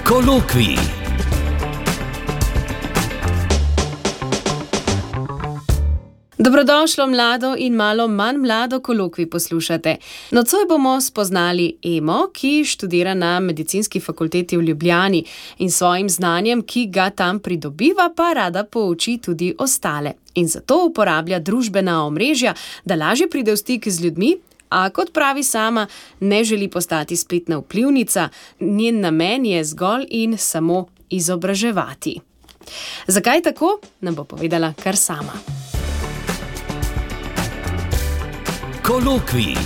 Kolokvij. Dobrodošlo mlado in malo manj mlado kolokvij poslušate. Nocoj bomo spoznali Emo, ki študira na medicinski fakulteti v Ljubljani in svojim znanjem, ki ga tam pridobiva, pa rada pouči tudi ostale. In zato uporablja družbena omrežja, da lažje pride v stik z ljudmi, a kot pravi sama, ne želi postati spletna vplivnica, njen namen je zgolj in samo izobraževati. Zakaj tako, nam bo povedala kar sama. Kolokvij.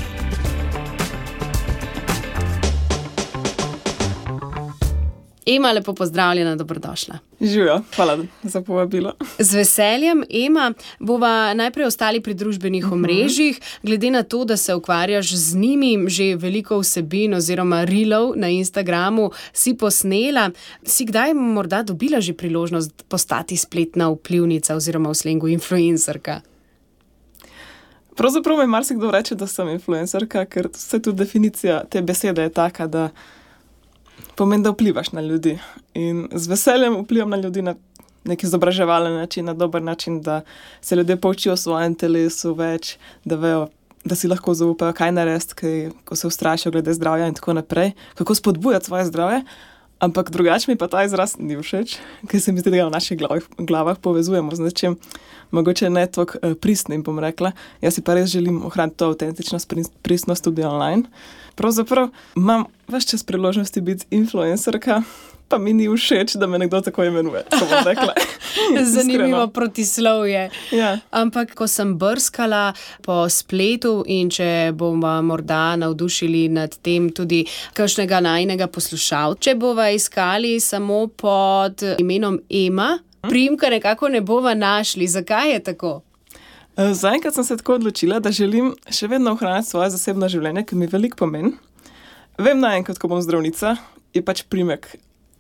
Ema, lepo pozdravljena, dobrodošla. Živijo, hvala za povabilo. Z veseljem, Ema, bova najprej ostali pri družbenih omrežjih. Glede na to, da se ukvarjaš z njimi, že veliko vsebin oziroma reelov na Instagramu si posnela. Si kdaj morda dobila že priložnost postati spletna vplivnica oziroma v slengu influencerka? Pravzaprav mi marsikdo reče, da sem influencerka, ker vse tudi definicija te besede je taka, da pomeni, da vplivaš na ljudi. In z veseljem vplivam na ljudi na nek izobraževalen način, na dober način, da se ljudje poučijo o svojem telesu več, da vejo, da si lahko zaupajo, kaj narediti, ko se ustrašijo glede zdravja in tako naprej, kako spodbujati svoje zdravje. Ampak drugače mi pa ta izraz ni všeč, ker se mi zdi, da ga v naših glavah povezujemo z nečim, mogoče ne toliko pristnim, bom rekla. Jaz si pa res želim ohraniti to avtentičnost, pristnost tudi online. Pravzaprav imam ves čas priložnosti biti influencerka, pa mi ni všeč, da me nekdo tako imenuje, ko bom rekla. Zanimivo protislovje. Ja. Ampak, ko sem brskala po spletu in če bomo morda navdušili nad tem tudi kakšnega najinega poslušalca, če bova iskali samo pod imenom Ema, priimka nekako ne bova našli. Zakaj je tako? Zaenkrat sem se tako odločila, da želim še vedno ohraniti svoje zasebno življenje, ki mi veliko pomeni. Vem naenkrat, ko bom zdravnica, je pač priimek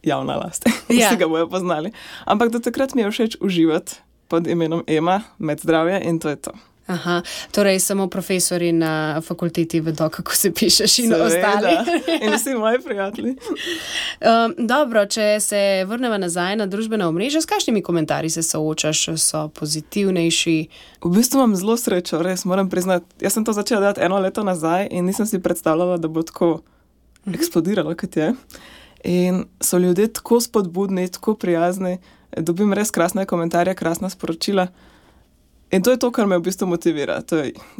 javna last. Vsi ga bojo poznali. Ampak do takrat mi je všeč uživati pod imenom Ema, med zdravje in to je to. Aha, torej samo profesori na fakulteti vedo, kako se pišeš in ostali. In vsi moji prijatelji. Dobro, če se vrnemo nazaj na družbena omrežja, s kakšnimi komentarji se soočaš, so pozitivnejši? V bistvu imam zelo srečo, res moram priznati. Jaz sem to začela delati 1 leto nazaj in nisem si predstavljala, da bo tako eksplodiralo, kot je. In so ljudje tako spodbudni, tako prijazni, dobim res krasne komentarje, krasna sporočila. In to je to, kar me v bistvu motivira.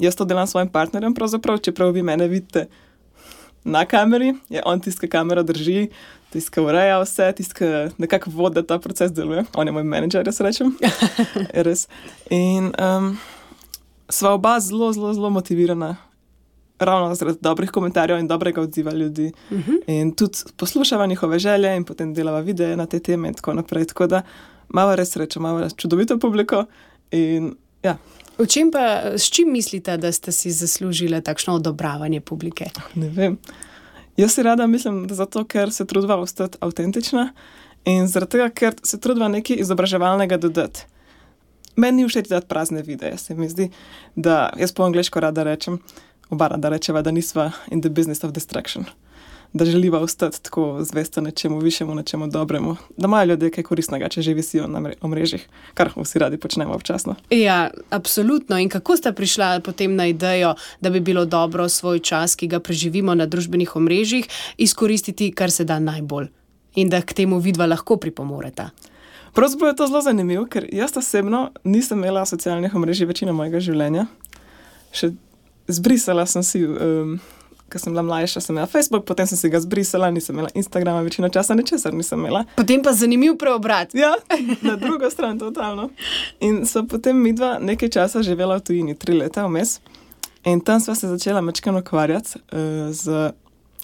Jaz to delam s svojim partnerjem, pravzaprav, čeprav vi mene vidite na kameri, je on tisti, ki kamero drži, tisti, ki ureja vse, tisti, ki nekako vodi, da ta proces deluje. On je moj menedžer, jaz rečem. Res. In sva oba zelo motivirana, ravno zaradi dobrih komentarjev in dobrega odziva ljudi. In tudi poslušava njihove želje in potem delava videe na te teme in tako naprej. Tako da malo res srečo, malo čudovito publiko in ja. S čim mislite, da ste si zaslužile takšno odobravanje publike? Ne vem. Jaz si rada mislim, da zato, ker se trudiva ostati avtentična in zaradi tega, ker se trudiva nekaj izobraževalnega dodati. Meni ni všeč dati prazne videe. Se mi zdi, da jaz po angleško rada rečem, oba rada rečeva, da nisva in the business of distraction. Da želiva ostati tako zvesta nečemu višjemu, nečemu dobremu. Da imajo ljudje kaj koristnega, če že visijo na omrežjih, kar vsi radi počnemo občasno. Ja, absolutno. In kako sta prišla potem na idejo, da bi bilo dobro svoj čas, ki ga preživimo na družbenih omrežjih, izkoristiti kar se da najbolj in da k temu vidva lahko pripomoreta? Pravzaprav je to zelo zanimivo, ker jaz osebno nisem imela socialnih omrežij večino mojega življenja. Še zbrisala sem si... Ko sem bila mlajša, sem imela Facebook, potem sem si ga zbrisala, nisem imela Instagrama, večino časa ničesar nisem imela. Potem pa zanimiv preobrat. Ja, na drugo stran, totalno. In so potem midva nekaj časa živela v tujini, 3 leta vmes. In tam sva se začela majčkeno ukvarjati z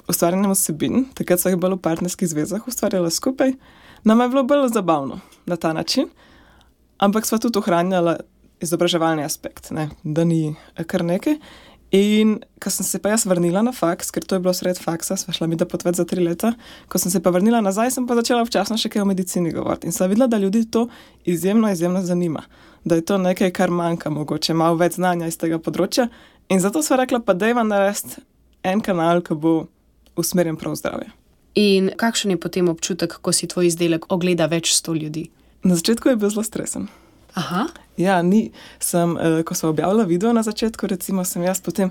ustvarjanjem vsebin. Takrat sva jih bolj v partnerskih zvezah ustvarjala skupaj. Nama je bilo bolj zabavno na ta način, ampak sva tudi ohranjala izobraževalni aspekt, ne? Da ni kar nekaj. In ko sem se pa jaz vrnila na faks, ker to je bilo sred faksa, sva šla midva potovati za 3 leta, ko sem se pa vrnila nazaj, sem pa začela včasno še kaj o medicini govoriti. In sem videla, da ljudi to izjemno zanima. Da je to nekaj, kar manjka mogoče, malo več znanja iz tega področja. In zato sva rekla, pa dajva narediti en kanal, ki bo usmerjen prav zdravje. In kakšen je potem občutek, ko si tvoj izdelek ogleda več 100 ljudi? Na začetku je bil zelo stresen. Aha. Ja, ko sem objavila video na začetku, recimo, sem jaz potem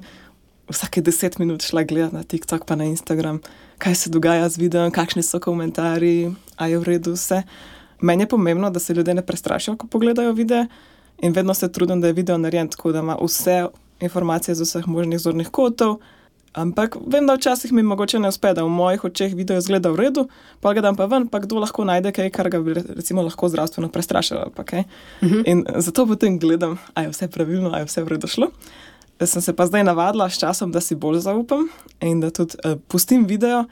vsake 10 minut šla gledati na TikTok pa na Instagram, kaj se dogaja z videom, kakšni so komentarji, a je v redu vse. Meni je pomembno, da se ljudje ne prestrašijo, ko pogledajo videe in vedno se trudim, da je video narejen tako, da ima vse informacije z vseh možnih zornih kotov, ampak vem, da včasih mi mogoče ne uspe, da v mojih očeh video izgleda v redu, pa ga dam pa ven, pa kdo lahko najde kaj, kar ga bi recimo lahko zdravstveno prestrašilo, pa kaj. In zato potem gledam, a je vse pravilno, a je vse v redu šlo. Sem se pa zdaj navadila s časom, da si bolj zaupam in da tudi pustim video,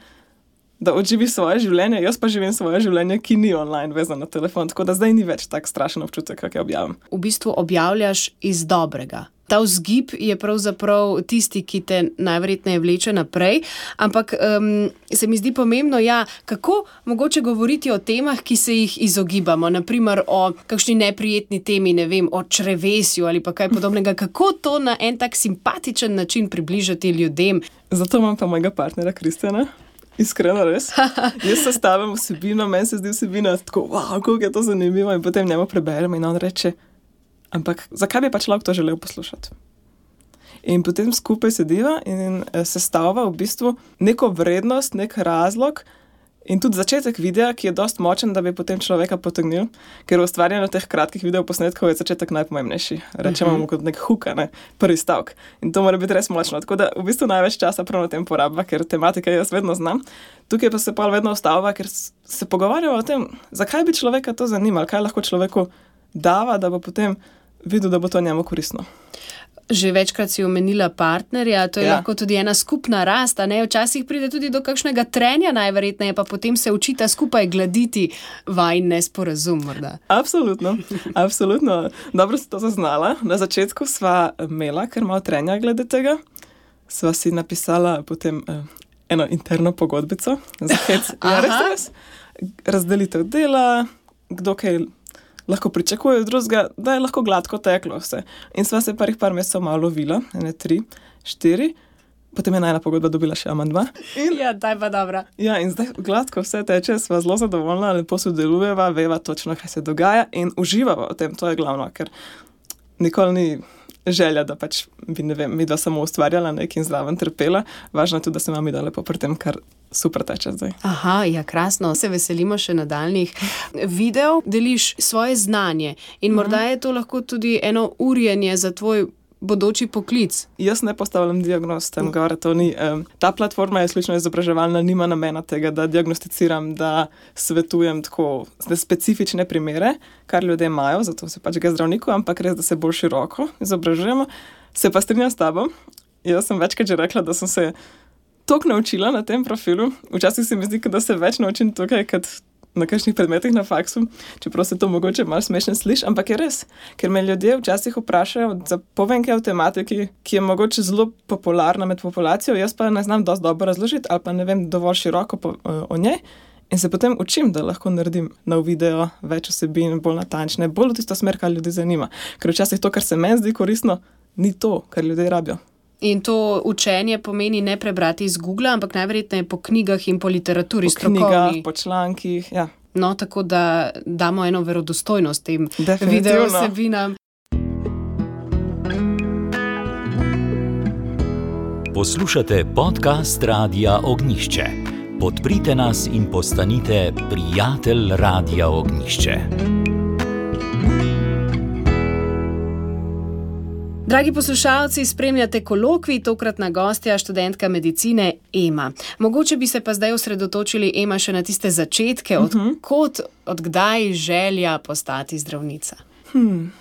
da odživi svoje življenje. Jaz pa živim svoje življenje, ki ni online vezano na telefon, tako da zdaj ni več tak strašen občutek, kak je objavim. V bistvu objavljaš iz dobrega. Ta vzgib je pravzaprav tisti, ki te najverjetneje vleče naprej, ampak se mi zdi pomembno, kako mogoče govoriti o temah, ki se jih izogibamo, naprimer o kakšni neprijetni temi, ne vem, o črevesju ali pa kaj podobnega, kako to na en tak simpatičen način približati ljudem. Zato imam pa mojega partnera Kristjana. Iskreno, res. Jaz sestavim vsebino, meni se zdi vsebina tako, kako je to zanimivo in potem njemu preberem in on reče, ampak zakaj bi pa človek to želel poslušati? In potem skupaj sediva in sestavlja v bistvu neko vrednost, nek razlog in tudi začetek videa, ki je dosti močen, da bi potem človeka potegnil, ker v ustvarjanju teh kratkih videoposnetkov je začetek najpomembnejši. Rečemo mu kot nek hook, prvi stavek. In to mora biti res močno. Tako da v bistvu največ časa prav na tem porabva, ker tematike jaz vedno znam. Tukaj pa se pa vedno ustavlja, ker se pogovarjamo o tem, zakaj bi človeka to zanimalo, kaj lahko človeku dava, da bo potem videl, da bo to njemu koristno. Že večkrat si omenila partnerja, to je lahko tudi ena skupna rast, ne? Včasih pride tudi do kakšnega trenja najverjetneje, pa potem se učita skupaj gladiti vajin nesporazum morda. Absolutno. Dobro si to zaznala. Na začetku sva imela kar malo trenja glede tega. Sva si napisala potem eno interno pogodbico za hec. Res. Razdelitev dela, kdo kaj lahko pričakuje od drugega, da je lahko gladko teklo vse. In sva se par mesecev malo lovila, 3, 4, potem je najna pogodba dobila še amandma. Daj pa dobra. In zdaj gladko vse teče, sva zelo zadovoljna, lepo sodelujeva, veva točno, kaj se dogaja in uživava v tem, to je glavno, ker nikoli ni želja, da pač bi, ne vem, midva samo ustvarjala nekaj in zraven trpela. Važno je tudi, da se imam lepo pri tem, kar super teče zdaj. Krasno. Se veselimo še nadaljnih videov. Deliš svoje znanje in morda je to lahko tudi eno urjenje za tvoj bodoči poklic. Jaz ne postavljam diagnoz tam gore, to ni. Ta platforma je izključno izobraževalna, nima namena tega, da diagnosticiram, da svetujem tako specifične primere, kar ljudje imajo, zato se pač gre zdravniku, ampak res, da se bolj široko izobražujemo. Se pa strinjam s tabo. Jaz sem večkrat že rekla, da sem se toliko naučila na tem profilu. Včasih se mi zdi, da se več naučim tukaj, kot na kakšnih predmetih na faksu, čeprav se to mogoče malo smešno sliši, ampak je res. Ker me ljudje včasih vprašajo za povenke o tematiki, ki je mogoče zelo popularna med populacijo, jaz pa ne znam dosti dobro razložiti ali pa ne vem dovolj široko o njej in se potem učim, da lahko naredim nov video, več vsebin, bolj natančne, bolj v tisto smer, kar ljudi zanima. Ker včasih to, kar se meni zdi koristno, ni to, kar ljudje rabijo. In to učenje pomeni ne prebrati iz Googla, ampak najverjetneje po knjigah in po literaturi strokovni. Po knjigah, po člankih, No, tako da damo eno verodostojnost tem videovsebinam. Poslušate podcast Radia Ognjišče. Podprite nas in postanite prijatelj Radia Ognjišče. Dragi poslušalci, spremljate kolokvij, tokratna gostja, študentka medicine Ema. Mogoče bi se pa zdaj osredotočili, Ema, še na tiste začetke, od kdaj želja postati zdravnica?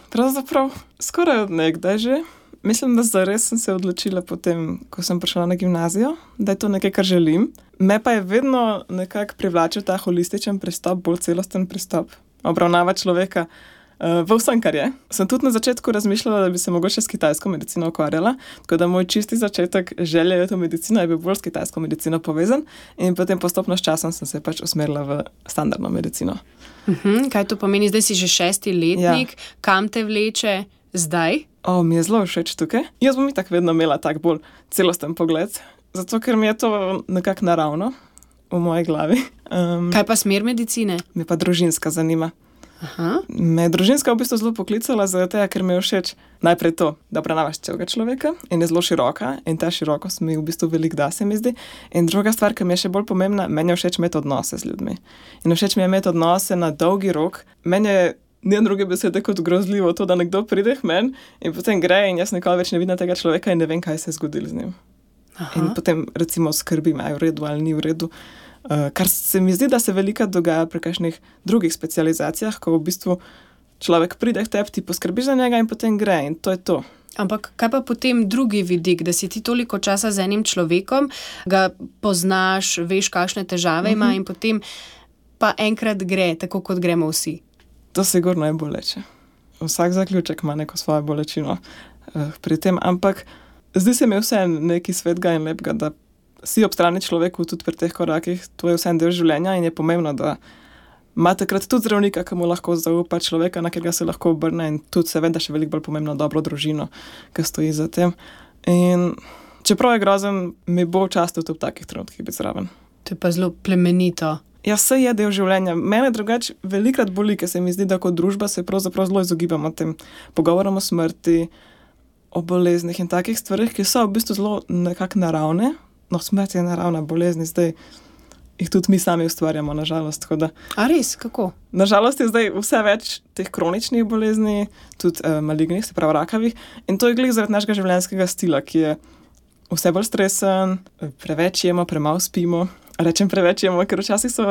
Pravzaprav skoraj od nekdaj že. Mislim, da zares sem se odločila potem, ko sem prišla na gimnazijo, da je to nekaj, kar želim. Me pa je vedno nekako privlačil ta holističen pristop, bolj celosten pristop, obravnava človeka v vsem, kar je. Sem tudi na začetku razmišljala, da bi se mogoče s kitajsko medicino ukvarjala, tako da moj čisti začetek želje je to medicina, je bil bolj s kitajsko medicino povezan in potem postopno s časom sem se pač usmerila v standardno medicino. Kaj to pomeni? Zdaj si že 6. letnik, Kam te vleče zdaj? Mi je zelo všeč tukaj. Jaz bom itak vedno imela tak bolj celosten pogled, zato ker mi je to nekako naravno v moji glavi. Kaj pa smer medicine? Me pa družinska zanima. Aha. Me je družinska v bistvu zelo poklicala, zato ker mi je všeč najprej to, da obravnavaš celega človeka in je zelo široka in ta širokost mi v bistvu veliko da, se mi zdi. In druga stvar, ki mi je še bolj pomembna, meni je všeč imeti odnose z ljudmi. In všeč mi je imeti odnose na dolgi rok. Meni je ni druge besede kot grozljivo to, da nekdo pride k meni in potem gre in jaz nikoli več ne vidim tega človeka in ne vem, kaj se je zgodilo z njim. Aha. In potem recimo skrbim, ali je v redu ali ni v redu. Kar se mi zdi, da se veliko dogaja pri kakšnih drugih specializacijah, ko v bistvu človek pride k tebi, ti poskrbiš za njega in potem gre in to je to. Ampak kaj pa potem drugi vidik, da si ti toliko časa z enim človekom, ga poznaš, veš, kakšne težave ima in potem pa enkrat gre, tako kot gremo vsi. To sigurno je boleče. Vsak zaključek ima neko svojo bolečino pri tem, ampak zdi se mi vse nekaj svetega in lepega, da si ob strani človeku tudi pri teh korakih, to je vse en del življenja in je pomembno, da ima takrat tudi zdravnika, ki mu lahko zaupa, človeka, na katerega se lahko obrne in tudi seveda še veliko bolj pomembno dobro družino, ki stoji za tem. In čeprav je grozen, mi bo čast tudi v takih trenutkih biti zraven. To je pa zelo plemenito. Ja, vse je del življenja. Mene drugače velikrat boli, ker se mi zdi, da kot družba se pravzaprav zelo izogibamo tem pogovorom o smrti, o boleznih in takih stvarih, ki so v bistvu zelo nekako naravne. No, smrt je naravna bolezni, zdaj jih tudi mi sami ustvarjamo, nažalost. A res, kako? Nažalost je zdaj vse več teh kroničnih bolezni, tudi malignih, se pravi rakavih, in to je glih zaradi našega življenjskega stila, ki je vse bolj stresen, preveč jemo, premalo spimo. Rečem preveč jemo, ker včasih so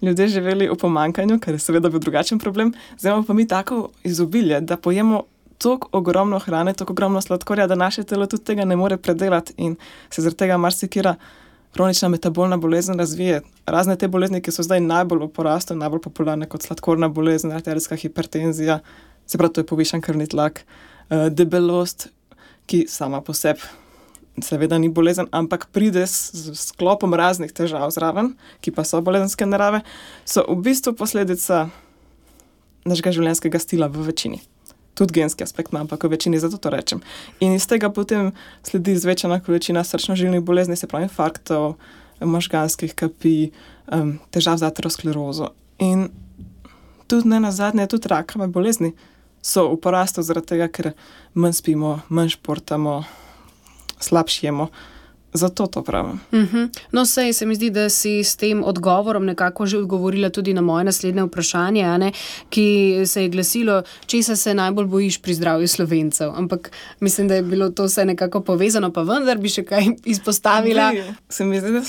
ljudje živeli v pomanjkanju, kar je seveda bil drugačen problem, zdaj imamo pa mi tako izobilje, da pojemo toliko ogromno hrane, toliko ogromno sladkorja, da naše telo tudi tega ne more predelati in se zaradi tega marsikera kronična metabolna bolezen razvije. Razne te bolezni, ki so zdaj najbolj v porastu, najbolj popularne kot sladkorna bolezen, arterijska hipertenzija, se pravi, to je povišan krvni tlak, debelost, ki sama po sebi seveda ni bolezen, ampak pride s sklopom raznih težav zraven, ki pa so bolezenske narave, so v bistvu posledica našega življenjskega stila v večini. Tudi genski aspekt ima, ampak v večini, zato to rečem. In iz tega potem sledi zvečana količina srčno-žilnih bolezni, se pravi infarktov, možganskih kapi, težav z aterosklerozo. In tudi ne nazadnje, tudi rakave bolezni so v porastu zaradi tega, ker manj spimo, manj športamo, slabše jemo. Zato to pravim. No, sej se mi zdi, da si s tem odgovorom nekako že odgovorila tudi na moje naslednje vprašanje, ki se je glasilo, česa se najbolj bojiš pri zdravju Slovencev. Ampak mislim, da je bilo to vse nekako povezano, pa vendar bi še kaj izpostavila. Se mi zdi, da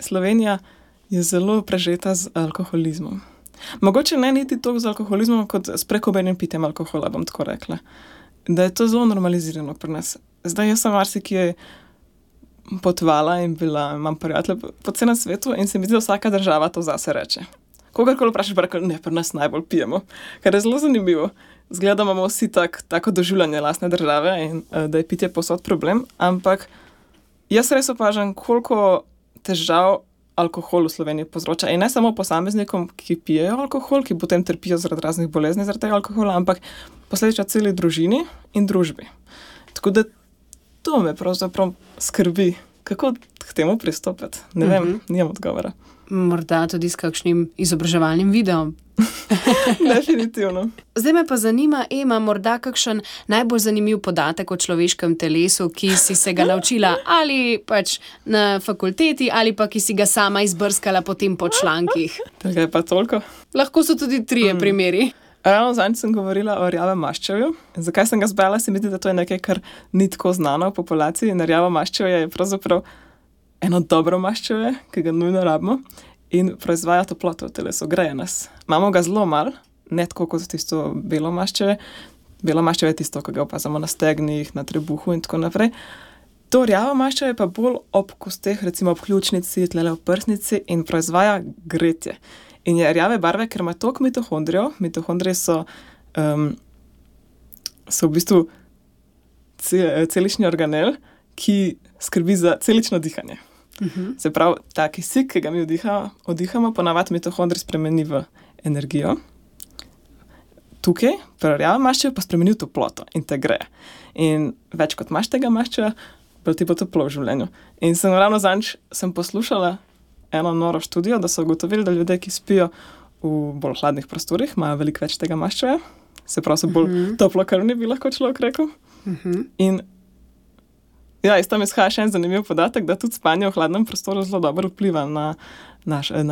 Slovenija je zelo prežeta z alkoholizmom. Mogoče ne niti toliko z alkoholizmom, kot s prekomernim pitjem alkohola, bom tako rekla. Da je to zelo normalizirano pri nas. Zdaj jaz sem marsikje potovala in imam prijatelje po celem svetu in se mi zdi, da vsaka država to zase reče. Kogarkoli vprašaš, pa rekel, ne, pri nas najbolj pijemo. Kar je zelo zanimivo. Zgleda, da imamo vsi tako doživljanje lastne države in da je pitje povsod problem, ampak jaz res opažam, koliko težav alkohol v Sloveniji povzroča. In ne samo posameznikom, ki pijejo alkohol, ki potem trpijo zaradi raznih bolezni zaradi tega alkohola, ampak posledično celi družini in družbi. Tako da to me pravzaprav skrbi, kako k temu pristopiti. Ne vem, nimam odgovora. Morda tudi s kakšnim izobraževalnim videom. Definitivno. Zdaj me pa zanima, Ema, morda kakšen najbolj zanimiv podatek o človeškem telesu, ki si se ga naučila ali pač na fakulteti ali pa ki si ga sama izbrskala potem po člankih. Tega je pa toliko. Lahko so tudi 3 primeri. Ravno zadnjič sem govorila o rjavem maščevju. Zakaj sem ga zbrala? Se mi zdi, da to je nekaj, kar ni tako znano v populaciji. In rjavo maščevje je pravzaprav eno dobro maščevje, ki ga nujno rabimo in proizvaja toploto v telesu, greje nas. Imamo ga zelo malo, ne tako kot tisto belo maščevje. Belo maščevje je tisto, ki ga opazamo na stegnih, na trebuhu in tako naprej. To rjavo maščevje pa bolj ob kosteh, recimo ob ključnici, tlele v prsnici in proizvaja gretje. In je rjave barve, ker ima toliko mitohondrijev. Mitohondrije so v bistvu celični organel, ki skrbi za celično dihanje. Se pravi, ta kisik, ki ga mi odihamo, ponavadi mitohondrij spremeni v energijo. Tukaj, pri rjavem maščevju, pa spremeni v toploto in te greje. In več kot imaš tega maščevja, bolj ti bo toplo v življenju. In ravno zadnjič sem poslušala eno noro študijo, da so ugotovili, da ljudje, ki spijo v bolj hladnih prostorih, imajo veliko več tega maščevja, se pravi, so bolj toplokrvni, bi lahko človek rekel. In ja, iz tam izhaja še en zanimiv podatek, da tudi spanje v hladnem prostoru zelo dobro vpliva na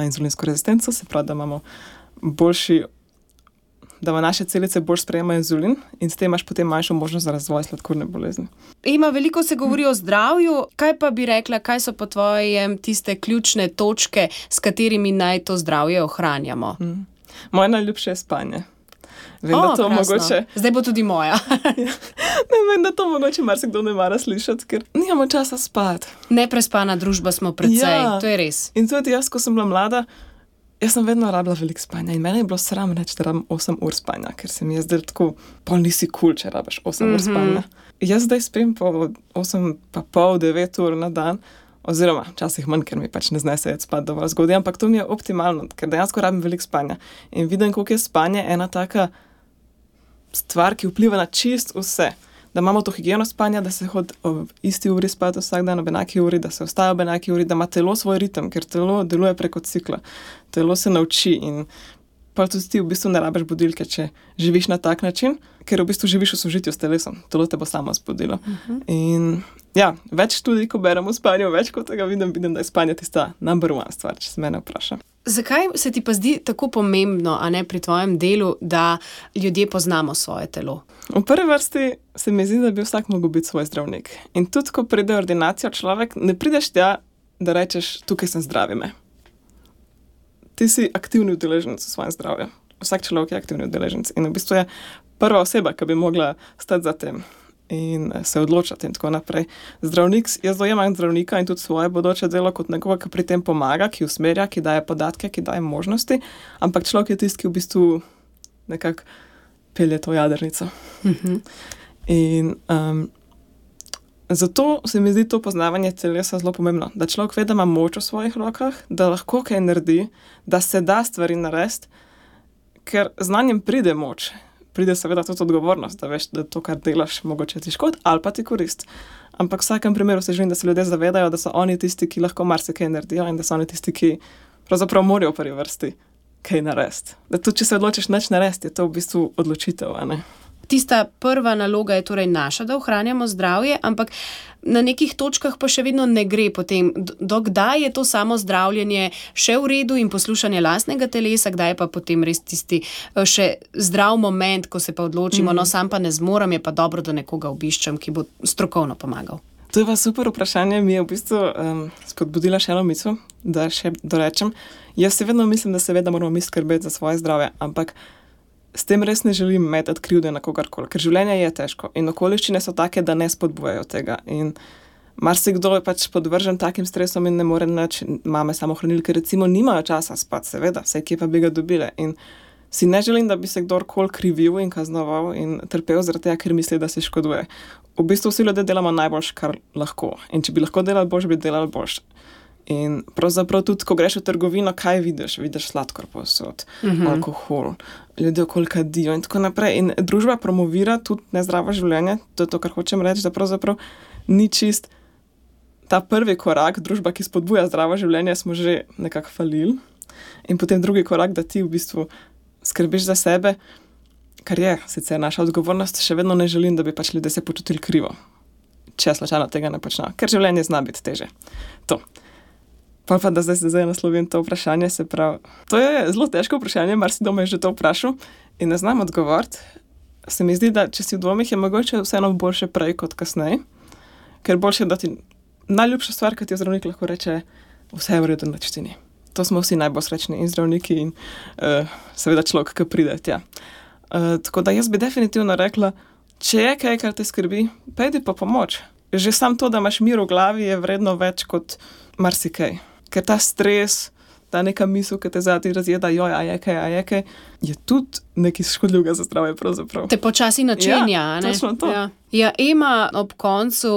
inzulinsko rezistenco, se pravi, da imamo da naše celice bolj sprejemajo inzulin in s tem imaš potem manjšo možnost za razvoj sladkorne bolezni. Veliko se govori o zdravju. Kaj pa bi rekla, kaj so po tvojem tiste ključne točke, s katerimi naj to zdravje ohranjamo? Moje najljubše je spanje. Vem, da to mogoče... Zdaj bo tudi moja. Vem, da to mogoče marsikdo ne mara slišati, ker nimamo časa spati. Neprespana družba smo precej, to je res. In tudi jaz, ko sem bila mlada, jaz sem vedno rabila veliko spanja in meni je bilo sram reči, da rabim 8 ur spanja, ker se mi je zdelo tako, pol nisi cool, če rabiš 8 ur spanja. Jaz zdaj spim po 8 pa pol, 9 ur na dan, oziroma včasih manj, ker mi pač ne znese spati dovolj zgodaj, ampak to mi je optimalno, ker dejansko rabim veliko spanja. In vidim, koliko je spanje ena taka stvar, ki vpliva na čist vse. Da imamo to higieno spanja, da se hodi ob isti uri spati vsak dan, ob enaki uri, da se vstaja ob enaki uri, da ima telo svoj ritem, ker telo deluje preko cikla. Telo se nauči in pa tudi ti v bistvu ne rabiš budilke, če živiš na tak način, ker v bistvu živiš v sožitju s telesom. Telo te bo samo zbudilo. In ja, več študij, ko beremo o spanju, več kot tega vidim, da je spanje tista number one stvar, če se mene vpraša. Zakaj se ti pa zdi tako pomembno, a ne pri tvojem delu, da ljudje poznamo svoje telo? V prvi vrsti se mi zdi, da bi vsak mogel biti svoj zdravnik. In tudi, ko pride v ordinacijo človek, ne prideš tja, da rečeš, tukaj sem zdravi me. Ti si aktivni udeleženec v svojem zdravju. Vsak človek je aktivni udeleženec. In v bistvu je prva oseba, ki bi mogla stati za tem in se odločati in tako naprej. Zdravnik, jaz dojemam zdravnika in tudi svoje bodoče delo kot nekoga, ki pri tem pomaga, ki usmerja, ki daje podatke, ki daje možnosti, ampak človek je tisti, ki v bistvu nekako pelje to jadrnico. In zato se mi zdi to poznavanje telesa zelo pomembno, da človek ve, da ima moč v svojih rokah, da lahko kaj naredi, da se da stvari narediti, ker znanjem pride moč. Pride seveda tudi odgovornost, da veš, da to, kar delaš, mogoče ti škod ali pa ti korist. Ampak v vsakem primeru se želim, da se ljudje zavedajo, da so oni tisti, ki lahko marsikaj naredijo in da so oni tisti, ki pravzaprav morajo v prvi vrsti kaj narediti. Da tudi, če se odločiš nič narediti, je to v bistvu odločitev, a ne? Tista prva naloga je torej naša, da ohranjamo zdravje, ampak na nekih točkah pa še vedno ne gre potem. Do kdaj je to samo zdravljenje še v redu in poslušanje lastnega telesa, kdaj je pa potem res tisti še zdrav moment, ko se pa odločimo, no sam pa ne zmorem, je pa dobro, da nekoga obiščem, ki bo strokovno pomagal. To je pa super vprašanje, mi je v bistvu spodbudila še eno misel, da še dorečem. Jaz se vedno mislim, da seveda moramo mi skrbeti za svoje zdravje, ampak s tem res ne želim metati krivde na kogarkoli, ker življenje je težko in okoliščine so take, da ne spodbujajo tega. In marsikdo je pač podvržen takim stresom in ne more nič. Mame samohranilke recimo nimajo časa spati, seveda, vsaj kje pa bi ga dobile. In si ne želim, da bi se kdorkoli krivil in kaznoval in trpel zaradi tega, ker misli, da si škoduje. V bistvu vsi ljudje delamo najboljše, kar lahko. In če bi lahko delali boljše, bi delali boljše. In pravzaprav tudi, ko greš v trgovino, kaj vidiš? Vidiš sladkor povsod, alkohol, ljudje okoli kadijo in tako naprej. In družba promovira tudi nezdravo življenje, to je to, kar hočem reči, da pravzaprav ni čist ta prvi korak, družba, ki spodbuja zdravo življenje, smo že nekako falili. In potem drugi korak, da ti v bistvu skrbiš za sebe, kar je sicer naša odgovornost, še vedno ne želim, da bi pač ljudje se počutili krivo, če slučajno tega ne počnejo, ker življenje zna biti teže. To. Pa da zdaj naslovim to vprašanje, se pravi, to je zelo težko vprašanje, marsikdo me je že to vprašal in ne znam odgovoriti. Se mi zdi, da če si v dvomih, je mogoče vseeno boljše prej kot kasneje, ker boljše, da ti najljubša stvar, ki ti je zdravnik lahko reče, vse je v redu, nič ti ni. To smo vsi najbolj srečni in zdravniki in seveda človek, ki pride tja. Tako da jaz bi definitivno rekla, če je kaj, kar te skrbi, pejdi pa pomoč. Že sam to, da imaš mir v glavi, je vredno več kot marsikaj. Ker ta stres, ta neka misel, ki te zadnji razjeda, joj, a je kaj, je tudi nekaj škodljivega za zdravje pravzaprav. Te počasi načenja, ne? Točno to. Ja, Ema, ob koncu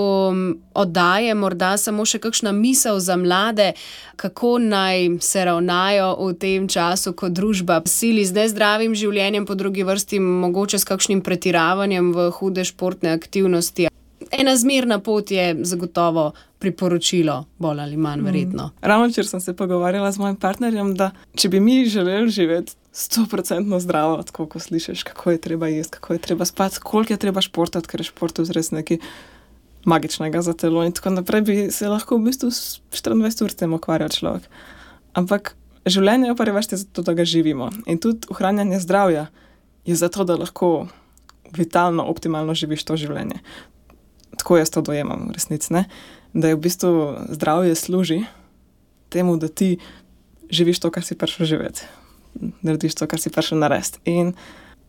oddaje morda samo še kakšna misel za mlade, kako naj se ravnajo v tem času, ko družba sili z nezdravim življenjem, po drugi vrsti mogoče s kakšnim pretiravanjem v hude športne aktivnosti. ena zmerna pot je zagotovo priporočilo, bolj ali manj verjetno. Ravno včeraj sem se pogovarjala z mojim partnerjem, da če bi mi želeli živeti 100% zdravo, tako ko slišiš, kako je treba jesti, kako je treba spati, koliko je treba športati, ker je šport res nekaj magičnega za telo in tako naprej, bi se lahko v bistvu 24 ur s tem ukvarjal človek. Ampak življenje je pa revašte zato, da ga živimo. In tudi ohranjanje zdravja je zato, da lahko vitalno, optimalno živiš to življenje. Tako jaz to dojemam v resnici, ne? Da je v bistvu zdravje služi temu, da ti živiš to, kar si prišel živeti. Narediš to, kar si prišel narediti. In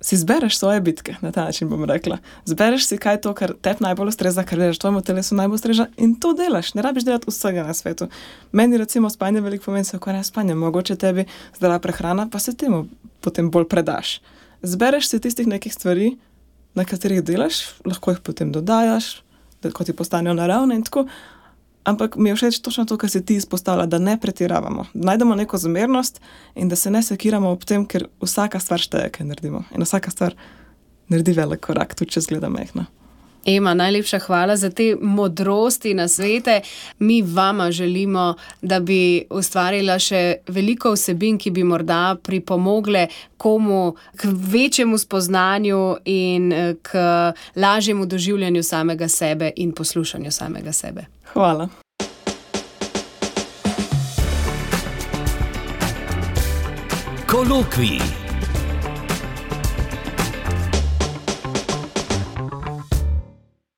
si zbereš svoje bitke, na ta način bom rekla. Zbereš si, kaj je to, kar tebi najbolj ustreza, kar veš, tvojemu telesu najbolj ustreza in to delaš. Ne rabiš delati vsega na svetu. Meni recimo spanje veliko pomeni, se ukvarjam s spanjem. Mogoče tebi zdrava prehrana, pa se temu potem bolj predaš. Zbereš si tistih nekih stvari, na katerih delaš, lahko jih potem dodajaš, da ko ti postanejo naravne in tako. Ampak mi je všeč točno to, kar si ti izpostavlja, da ne pretiravamo. Najdemo neko zmernost in da se ne sekiramo ob tem, ker vsaka stvar šteje, kaj naredimo. In vsaka stvar naredi velik korak, tudi če zgleda majhna. Ema, najlepša hvala za te modrosti na svete. Mi vama želimo, da bi ustvarila še veliko vsebin, ki bi morda pripomogle komu k večjemu spoznanju in k lažjemu doživljanju samega sebe in poslušanju samega sebe. Hvala. Kolokvij.